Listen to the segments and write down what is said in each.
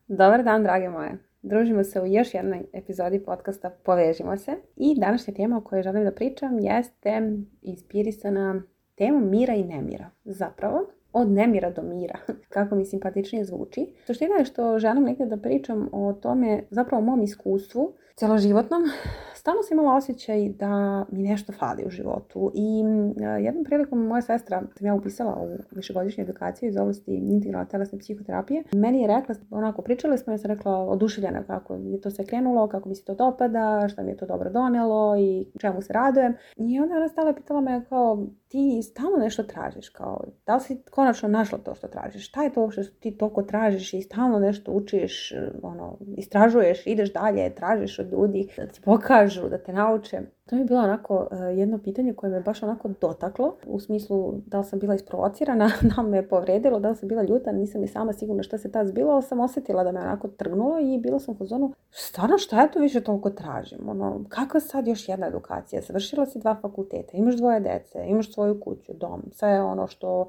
Dobar dan, drage moje. Družimo se u još jednoj epizodi podcasta Povežimo se. I današnja tema o kojoj želim da pričam jeste inspirisana temom mira i nemira. Zapravo, od nemira do mira, kako mi simpatičnije zvuči. Suština je što želim negdje da pričam o tome, zapravo o mom iskustvu, celoživotnom. Stalno sam imala osjećaj da mi nešto fali u životu i jednom prilikom moja sestra, sam ja upisala u višegodišnju edukaciju iz oblasti integralne telesne psihoterapije, meni je rekla, onako pričali smo, ja sam rekla oduševljena kako je to sve krenulo, kako mi se to dopada, šta mi je to dobro donelo i čemu se radujem. I onda ona stala pitala me kao, ti stalno nešto tražiš, kao, da li si konačno našla to što tražiš, šta je to što ti toliko tražiš i stalno nešto učiš, istražuješ, ideš dalje, tražiš od ljudi da ti pokažu, da te nauče. To mi je bilo onako jedno pitanje koje me baš onako dotaklo, u smislu da li sam bila isprovocirana, da li me povredilo, da li sam bila ljuta, nisam ni sama sigurna šta se tad zbilo, ali sam osjetila da me onako trgnulo i bila sam u fazonu, stvarno šta ja to više toliko tražim? Kakva sad još jedna edukacija? Završila si 2 fakulteta, imaš 2 dece, imaš svoju kuću, dom, sve ono što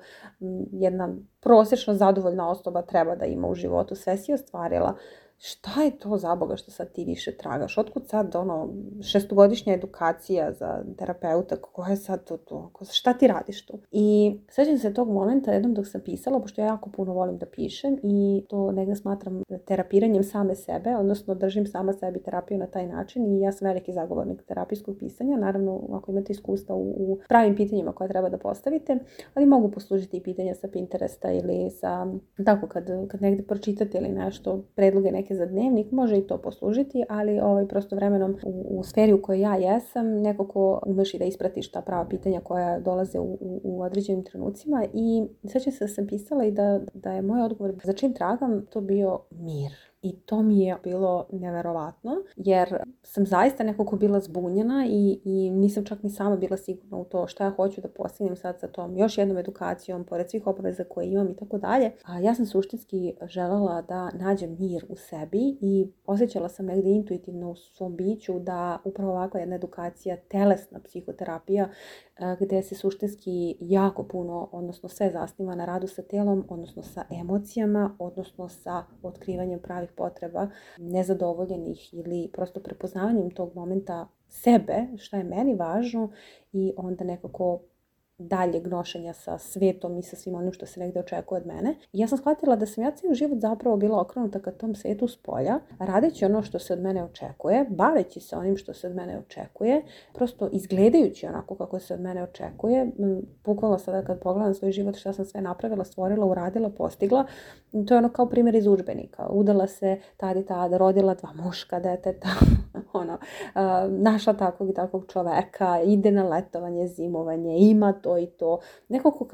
jedna prosječno zadovoljna osoba treba da ima u životu, sve si ostvarila. Šta je to za Boga što sad ti više tragaš? Otkud sad 6-godišnja edukacija za terapeuta? Koja je sad to? Šta ti radiš tu? I sjećam se tog momenta jednom dok sam pisala, pošto ja jako puno volim da pišem i to negdje smatram terapiranjem same sebe, odnosno držim sama sebi terapiju na taj način i ja sam veliki zagovornik terapijskog pisanja. Naravno, ako imate iskustva u pravim pitanjima koje treba da postavite, ali mogu poslužiti i pitanja sa Pinteresta ili sa, tako kad negdje pročitate ili nešto, predloge neke za dnevnik, može i to poslužiti, ali prosto vremenom u sferi u kojoj ja jesam, neko ko umeš i da ispratiš ta prava pitanja koja dolaze u određenim trenucima. I sjećam se da sam pisala i da je moj odgovor za čim tragam to bio mir. I to mi je bilo neverovatno, jer sam zaista nekako bila zbunjena i nisam čak ni sama bila sigurna u to šta ja hoću da postignem sad sa tom još jednom edukacijom, pored svih obaveza koje imam i tako dalje. A ja sam suštinski željela da nađem mir u sebi i osjećala sam negdje intuitivno u svom biću da upravo ovakva jedna edukacija, telesna psihoterapija, gdje se suštinski jako puno, odnosno sve zasniva na radu sa telom, odnosno sa emocijama, odnosno sa otkrivanjem pravih potreba, nezadovoljenih ili prosto prepoznavanjem tog momenta sebe, šta je meni važno i onda nekako daljeg nošenja sa svetom i sa svim onim što se negdje očekuje od mene. I ja sam shvatila da sam ja cijeli život zapravo bila okrenuta ka tom svetu spolja, radeći ono što se od mene očekuje, baveći se onim što se od mene očekuje, prosto izgledajući onako kako se od mene očekuje. Bukvalno sada kad pogledam svoj život šta sam sve napravila, stvorila, uradila, postigla, to je ono kao primjer iz udžbenika. Udala se tad i tad, rodila 2 muška deteta, našla takvog i takvog čoveka, ide na letovanje, zimovanje, ima to i to. Nekako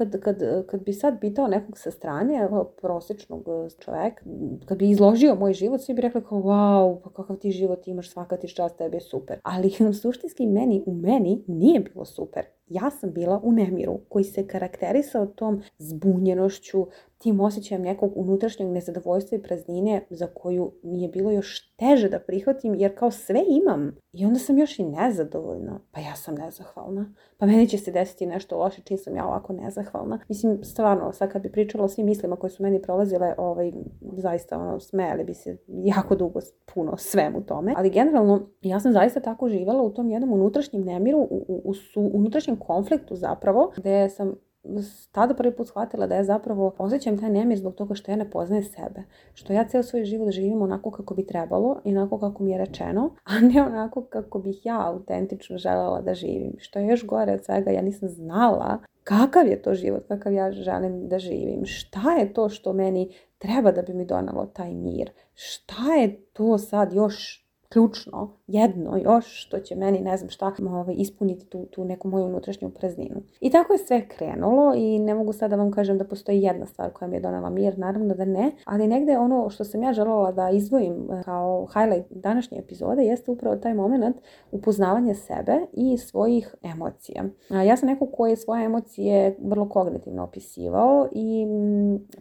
kad bi sad pitao nekog sa strane, prosječnog čoveka, kad bi izložio moj život, svi bi rekli kao, wow, pa kakav ti život imaš, svaka ti čast, tebi je super. Ali suštinski u meni nije bilo super. Ja sam bila u nemiru koji se karakterisao tom zbunjenošću, tim osjećajem nekog unutrašnjeg nezadovoljstva i praznine za koju mi je bilo još teže da prihvatim jer kao sve imam. I onda sam još i nezadovoljna. Pa ja sam nezahvalna. Pa meni će se desiti nešto loše čim sam ja ovako nezahvalna. Mislim, stvarno, sad kad bi pričala o svim mislima koje su meni prolazile, zaista smejali bi se jako dugo puno svemu tome. Ali generalno, ja sam zaista tako živjela u tom jednom unutrašnjem nemiru, u unutrašnjem konfliktu zapravo, gdje sam tada prvi put shvatila da ja zapravo osjećam taj nemir zbog toga što ja ne poznajem sebe. Što ja cijel svoj život živim onako kako bi trebalo i onako kako mi je rečeno, a ne onako kako bih ja autentično željela da živim. Što je još gore od svega, ja nisam znala kakav je to život, kakav ja želim da živim. Šta je to što meni treba da bi mi donalo taj mir? Šta je to sad još ključno, jedno još što će meni, ne znam šta, ispuniti tu neku moju unutrašnju prazninu. I tako je sve krenulo i ne mogu sad da vam kažem da postoji jedna stvar koja mi je donela mir, naravno da ne, ali negdje ono što sam ja željela da izdvojim kao highlight današnje epizode jeste upravo taj moment upoznavanja sebe i svojih emocija. Ja sam neko koji je svoje emocije vrlo kognitivno opisivao i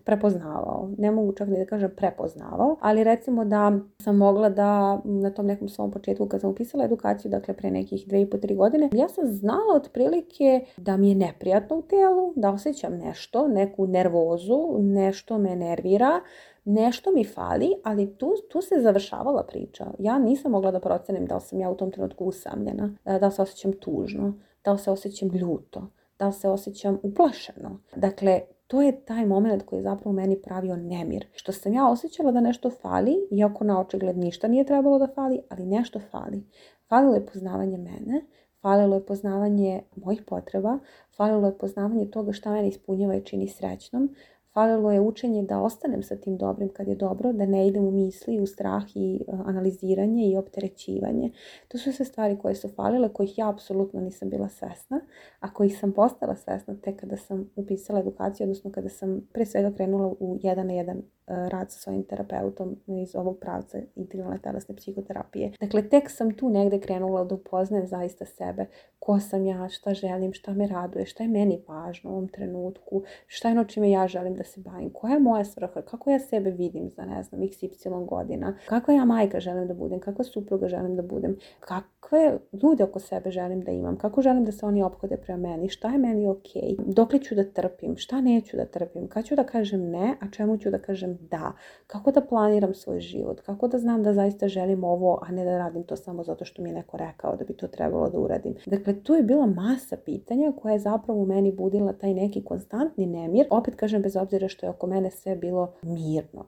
prepoznavao. Ne mogu čak ni da kažem prepoznavao, ali recimo da sam mogla da na tom nekom svom početku kad sam upisala edukaciju, dakle pre nekih 2,5-3 godine, ja sam znala otprilike da mi je neprijatno u telu, da osjećam nešto, neku nervozu, nešto me nervira, nešto mi fali, ali tu se završavala priča. Ja nisam mogla da procenim da li sam ja u tom trenutku usamljena, da li se osjećam tužno, da li se osjećam ljuto, da li se osjećam uplašeno. Dakle, to je taj moment koji je zapravo meni pravio nemir. Što sam ja osjećala da nešto fali, iako na očigled ništa nije trebalo da fali, ali nešto fali. Falilo je poznavanje mene, falilo je poznavanje mojih potreba, falilo je poznavanje toga šta mene ispunjava i čini srećnom, falilo je učenje da ostanem sa tim dobrim kad je dobro, da ne idem u misli, u strah i analiziranje i opterećivanje. To su sve stvari koje su falile, kojih ja apsolutno nisam bila svesna, a kojih sam postala svesna tek kada sam upisala edukaciju, odnosno kada sam pre svega krenula u 1-na-1 rad sa svojim terapeutom iz ovog pravca integralne telesne psihoterapije. Dakle, tek sam tu negde krenula da upoznajem zaista sebe, ko sam ja, šta želim, šta me raduje, šta je meni važno u ovom trenutku, šta je ono čime ja želim da se bavim, koja je moja svrha, kako ja sebe vidim za, ne znam, XY godina, kakva ja majka želim da budem, kakva supruga želim da budem, kakve ljude oko sebe želim da imam, kako želim da se oni ophode prema meni, šta je meni okej, dokle ću da trpim, šta neću da trpim, kad ću da kažem ne, a čemu ću da kažem da, kako da planiram svoj život, kako da znam da zaista želim ovo, a ne da radim to samo zato što mi je neko rekao da bi to trebalo da uradim. Dakle, tu je bila masa pitanja koja je zapravo u meni budila taj neki konstantni nemir. Opet kažem, bez obzira što je oko mene sve bilo mirno.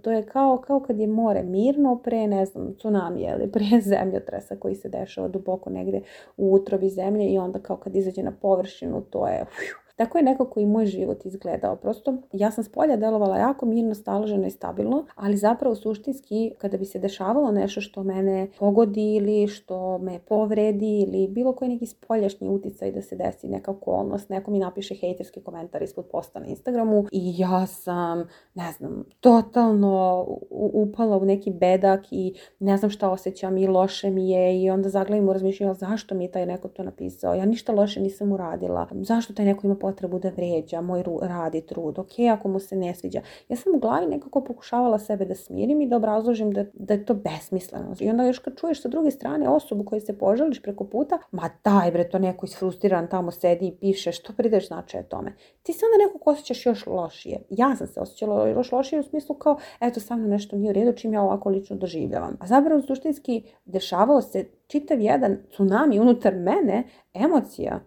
To je kao kad je more mirno pre, ne znam, tsunamija ili pre zemljotresa koji se dešava duboko negde u utrobi zemlje i onda kao kad izađe na površinu, to je... Tako je nekako i moj život izgledao. Prosto ja sam spolja delovala jako mirno, staloženo i stabilno, ali zapravo suštinski kada bi se dešavalo nešto što mene pogodi ili što me povredi ili bilo koji neki spoljašnji uticaj da se desi neka okolnost, neko mi napiše hejterski komentar ispod posta na Instagramu i ja sam, ne znam, totalno upala u neki bedak i ne znam šta osjećam i loše mi je i onda zaglavim u razmišljanju zašto mi je taj neko to napisao, ja ništa loše nisam uradila, zašto taj neko ima potrebu da vređa moj rad i trud, ok, ako mu se ne sviđa. Ja sam u glavi nekako pokušavala sebe da smirim i da obrazložim da je to besmisleno. I onda još kad čuješ sa druge strane osobu koju se požališ preko puta, ma daj bre, to neko isfrustriran tamo sedi i piše, što prideš značaja tome. Ti se onda nekako osjećaš još lošije. Ja sam se osjećala još lošije u smislu kao, eto, sa mnom nešto nije u redu, čim ja ovako lično doživljavam. A zapravo suštinski dešavao se čitav jedan tsunami unutar mene emocija,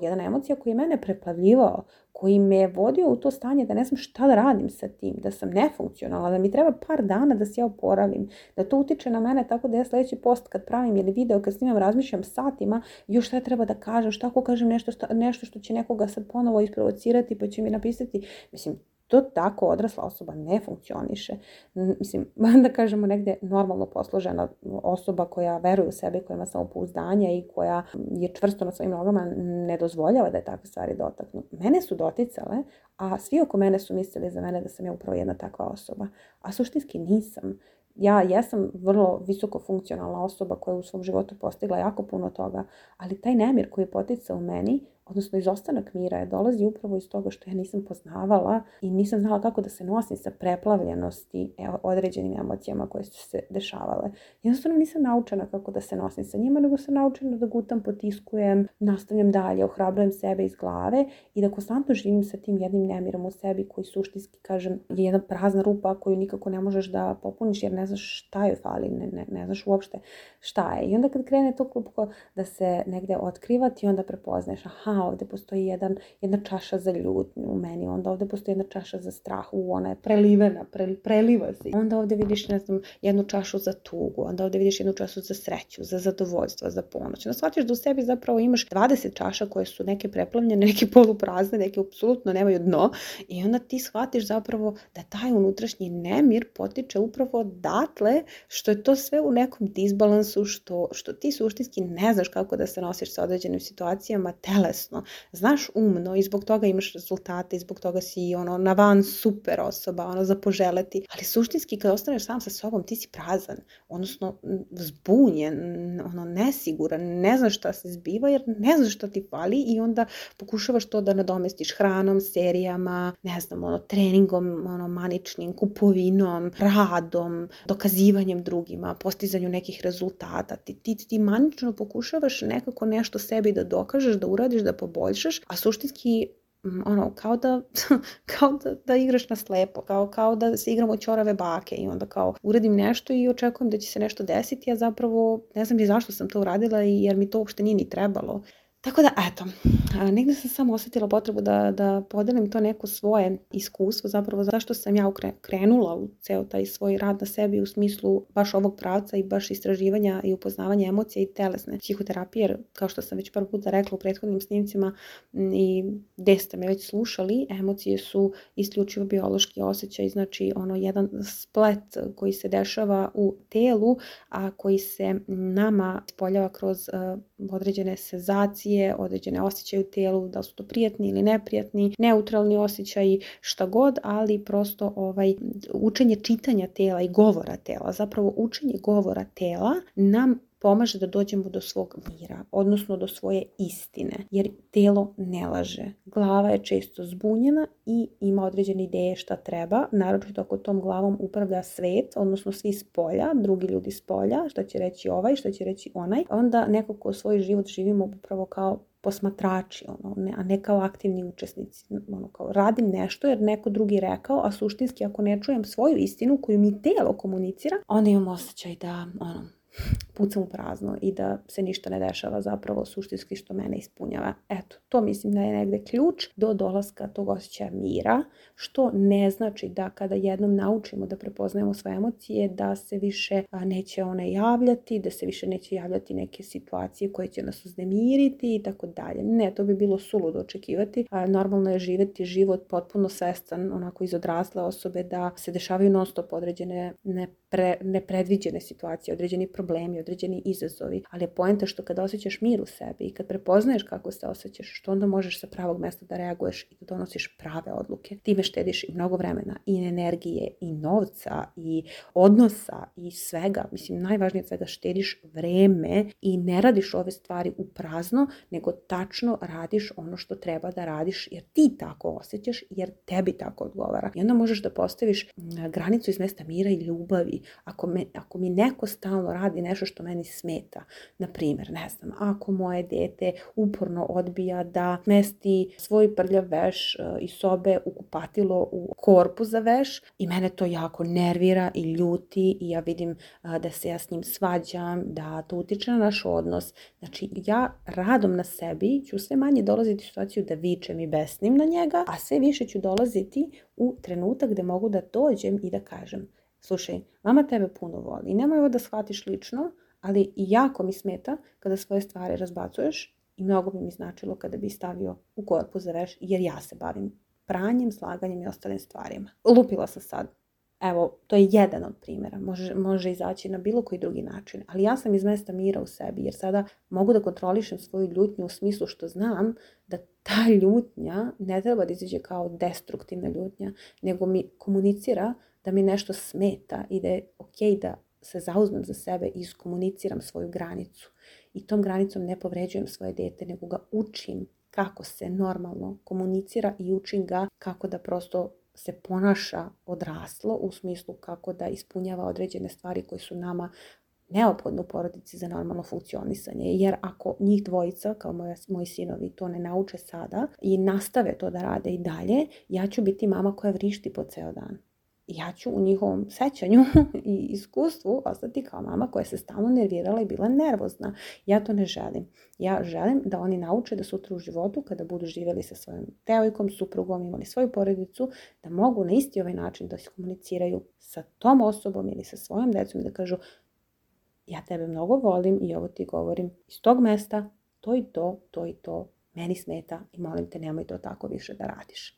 jedna emocija koji je mene preplavljivao, koji me je vodio u to stanje da ne znam šta da radim sa tim, da sam nefunkcionalna, da mi treba par dana da se ja oporavim, da to utiče na mene tako da ja sljedeći post kad pravim ili video, kad snimam, razmišljam satima, još šta treba da kažem, šta ako kažem nešto što će nekoga sad ponovo isprovocirati pa će mi napisati, mislim, to tako odrasla osoba ne funkcioniše. Mislim, da kažemo negdje normalno posložena osoba koja veruje u sebe, koja ima samopouzdanje i koja je čvrsto na svojim nogama, ne dozvoljava da je takve stvari dotaknu. Mene su doticale, a svi oko mene su mislili za mene da sam ja upravo jedna takva osoba. A suštinski nisam. Ja jesam vrlo visoko funkcionalna osoba koja je u svom životu postigla jako puno toga, ali taj nemir koji je poticao u meni, odnosno izostanak mira, je dolazi upravo iz toga što ja nisam poznavala i nisam znala kako da se nosim sa preplavljenosti određenim emocijama koje su se dešavale. Jednostavno nisam naučena kako da se nosim sa njima, nego sam naučena da gutam, potiskujem, nastavljam dalje, ohrabrujem sebe iz glave i da konstantno živim sa tim jednim nemirom u sebi koji suštinski, kažem, je jedna prazna rupa koju nikako ne možeš da popuniš jer ne znaš šta joj fali, ne znaš uopšte šta je. I onda kad krene to klupko da se negde otkriva, ti onda prepoznaješ, aha, ovdje postoji jedna čaša za ljutnju u meni, onda ovdje postoji jedna čaša za strah, ona je prelivena, preliva se. Onda ovdje vidiš, ne znam, jednu čašu za tugu, onda ovdje vidiš jednu čašu za sreću, za zadovoljstvo, za ponoć. Onda shvatiš da u sebi zapravo imaš 20 čaša koje su neke preplavljene, neke poluprazne, neke apsolutno nemaju dno i onda ti shvatiš zapravo da taj unutrašnji nemir potiče upravo odatle što je to sve u nekom disbalansu, što ti suštinski ne znaš kako da se nosiš sa određenim situacijama telesno. Znaš umno i zbog toga imaš rezultate i zbog toga si na van super osoba, za poželeti. Ali suštinski kad ostaneš sam sa sobom ti si prazan, odnosno zbunjen, nesiguran, ne znaš šta se zbiva jer ne znaš šta ti fali i onda pokušavaš to da nadomestiš hranom, serijama, ne znam, treningom, maničnim, kupovinom, radom, dokazivanjem drugima, postizanju nekih rezultata. Ti manično pokušavaš nekako nešto sebi da dokažeš, da uradiš, da poboljšaš, a suštinski kao da igraš na slepo, kao da se igramo ćorave bake i onda kao uradim nešto i očekujem da će se nešto desiti, a zapravo ne znam ni zašto sam to uradila jer mi to uopšte nije ni trebalo. Tako da, eto, negdje sam samo osjetila potrebu da podelim to neko svoje iskustvo, zapravo zašto sam ja krenula u ceo taj svoj rad na sebi u smislu baš ovog pravca i baš istraživanja i upoznavanja emocija i telesne psihoterapije, jer kao što sam već prvi puta rekla u prethodnim snimcima i gde ste me već slušali, emocije su isključivo biološki osjećaj, znači jedan splet koji se dešava u telu, a koji se nama ispoljava kroz određene senzacije, određene osjećaje u telu, da su to prijatni ili neprijatni, neutralni osjećaji, šta god, ali prosto učenje čitanja tela i govora tela, zapravo učenje govora tela nam pomaže da dođemo do svog mira, odnosno do svoje istine, jer telo ne laže. Glava je često zbunjena i ima određene ideje šta treba, naročito ako tom glavom upravlja svet, odnosno svi s polja, drugi ljudi s polja, šta će reći ovaj, šta će reći onaj, onda nekako svoj život živimo upravo kao posmatrači, a ne kao aktivni učesnici. Kao radim nešto jer neko drugi rekao, a suštinski ako ne čujem svoju istinu koju mi telo komunicira, onda imam osjećaj da pucam u prazno i da se ništa ne dešava zapravo suštinski što mene ispunjava. Eto, to mislim da je negde ključ do dolaska tog osjećaja mira, što ne znači da kada jednom naučimo da prepoznajemo svoje emocije, da se više neće one javljati, da se više neće javljati neke situacije koje će nas uznemiriti i tako dalje. Ne, to bi bilo suludo očekivati. Normalno je živjeti život potpuno svestan, onako iz odrasle osobe, da se dešavaju non stop određene nepredviđene situacije, određeni problemi, određeni izazovi, ali je poenta što kada osjećaš mir u sebi i kad prepoznaješ kako se osjećaš, što onda možeš sa pravog mesta da reaguješ i da donosiš prave odluke. Time štediš i mnogo vremena, i energije, i novca, i odnosa, i svega. Mislim, najvažnije od svega, štediš vreme i ne radiš ove stvari u prazno, nego tačno radiš ono što treba da radiš jer ti tako osjećaš, jer tebi tako odgovara. I onda možeš da postaviš granicu iz mesta mira i ljubavi. Ako mi neko stalno radi nešto što meni smeta, na primjer, ne znam, ako moje dete uporno odbija da smesti svoj prljav veš iz sobe u kupatilo u korpu za veš i mene to jako nervira i ljuti i ja vidim da se ja s njim svađam, da to utiče na naš odnos. Znači, ja radom na sebi ću sve manje dolaziti u situaciju da vičem i besnim na njega, a sve više ću dolaziti u trenutak gde mogu da dođem i da kažem: slušaj, mama tebe puno voli i nemoj ovo da shvatiš lično, ali i jako mi smeta kada svoje stvari razbacuješ i mnogo bi mi značilo kada bi stavio u korpu za veš, jer ja se bavim pranjem, slaganjem i ostalim stvarima. Lupila sam sad. Evo, to je jedan od primjera. Može izaći na bilo koji drugi način. Ali ja sam iz mesta mira u sebi, jer sada mogu da kontrolišem svoju ljutnju u smislu što znam da ta ljutnja ne treba da izađe kao destruktivna ljutnja, nego mi komunicira da mi nešto smeta i da je okej da se zauzmem za sebe i iskomuniciram svoju granicu. I tom granicom ne povređujem svoje dete, nego ga učim kako se normalno komunicira i učim ga kako da prosto se ponaša odraslo u smislu kako da ispunjava određene stvari koje su nama neophodne u porodici za normalno funkcionisanje. Jer ako njih dvojica, kao moji sinovi, to ne nauče sada i nastave to da rade i dalje, ja ću biti mama koja vrišti po ceo dan. Ja ću u njihovom sećanju i iskustvu ostati kao mama koja se stalno nervirala i bila nervozna. Ja to ne želim. Ja želim da oni nauče da sutra u životu, kada budu živjeli sa svojom devojkom, suprugom, imali svoju porodicu, da mogu na isti ovaj način da se komuniciraju sa tom osobom ili sa svojom decom i da kažu: ja tebe mnogo volim i ovo ti govorim iz tog mesta, to i to, meni smeta i molim te nemoj to tako više da radiš.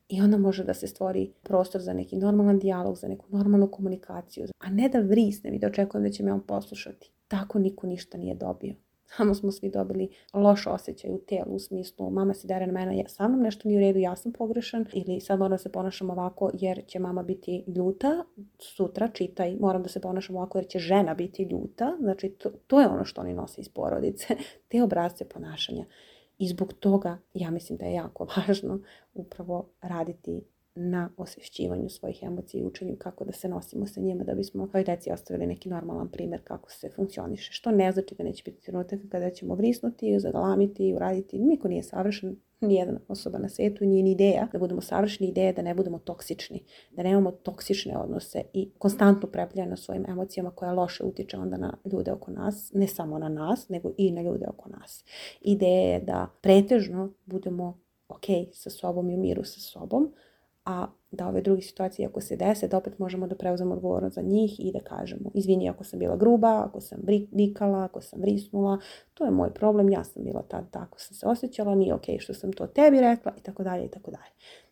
I onda može da se stvori prostor za neki normalan dijalog, za neku normalnu komunikaciju, a ne da vrisnem i da očekujem da će me on poslušati. Tako niko ništa nije dobio. Samo smo svi dobili loš osjećaj u telu, u smislu mama se dere na mene, sa mnom nešto nije u redu, ja sam pogrešan, ili sad moram da se ponašam ovako jer će mama biti ljuta, sutra čitaj, moram da se ponašam ovako jer će žena biti ljuta. Znači to je ono što oni nose iz porodice, te obrasce ponašanja. I zbog toga ja mislim da je jako važno upravo raditi na osvješćivanju svojih emocija i učenju kako da se nosimo sa njima da bismo svojoj deci ostavili neki normalan primjer kako se funkcioniše. Što ne znači da neće biti trenutak kada ćemo vrisnuti, zagalamiti, uraditi. Niko nije savršen, Nijedna osoba na svijetu nije ni ideja da budemo savršeni, ideja da ne budemo toksični, da nemamo toksične odnose i konstantno prepljeno svojim emocijama koja loše utiče onda na ljude oko nas, ne samo na nas, nego i na ljude oko nas. Ideja je da pretežno budemo ok sa sobom i u miru sa sobom, a da ove druge situacije ako se dese, da opet možemo da preuzemo odgovornost za njih i da kažemo izvini ako sam bila gruba, ako sam vikala, ako sam vrisnula, to je moj problem, ja sam bila tad tako sam se osjećala, nije ok što sam to tebi rekla i tako dalje i tako dalje.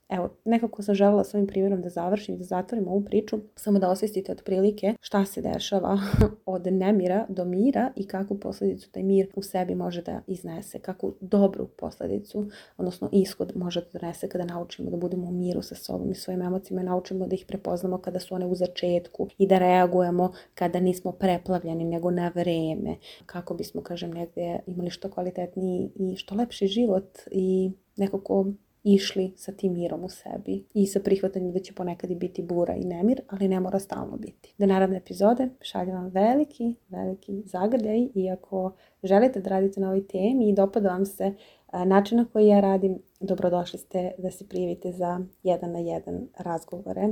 Evo, nekako sam željela s ovim primjerom da završim i da zatvorim ovu priču, samo da osvestite otprilike šta se dešava od nemira do mira i kakvu posljedicu taj mir u sebi može da iznese, kakvu dobru posljedicu, odnosno ishod može da donese kada naučimo da budemo u miru sa sobom i svojim emocijama, naučimo da ih prepoznamo kada su one u začetku i da reagujemo kada nismo preplavljeni nego na vreme, kako bismo, kažem, negdje imali što kvalitetniji i što lepši život i nekako išli sa tim mirom u sebi i sa prihvatanjem da će ponekad i biti bura i nemir, ali ne mora stalno biti. Do naredne epizode šaljem vam veliki zagrljaj i ako želite da radite na ovoj temi i dopada vam se način na koji ja radim, dobrodošli ste da se prijavite za 1 na 1 razgovore.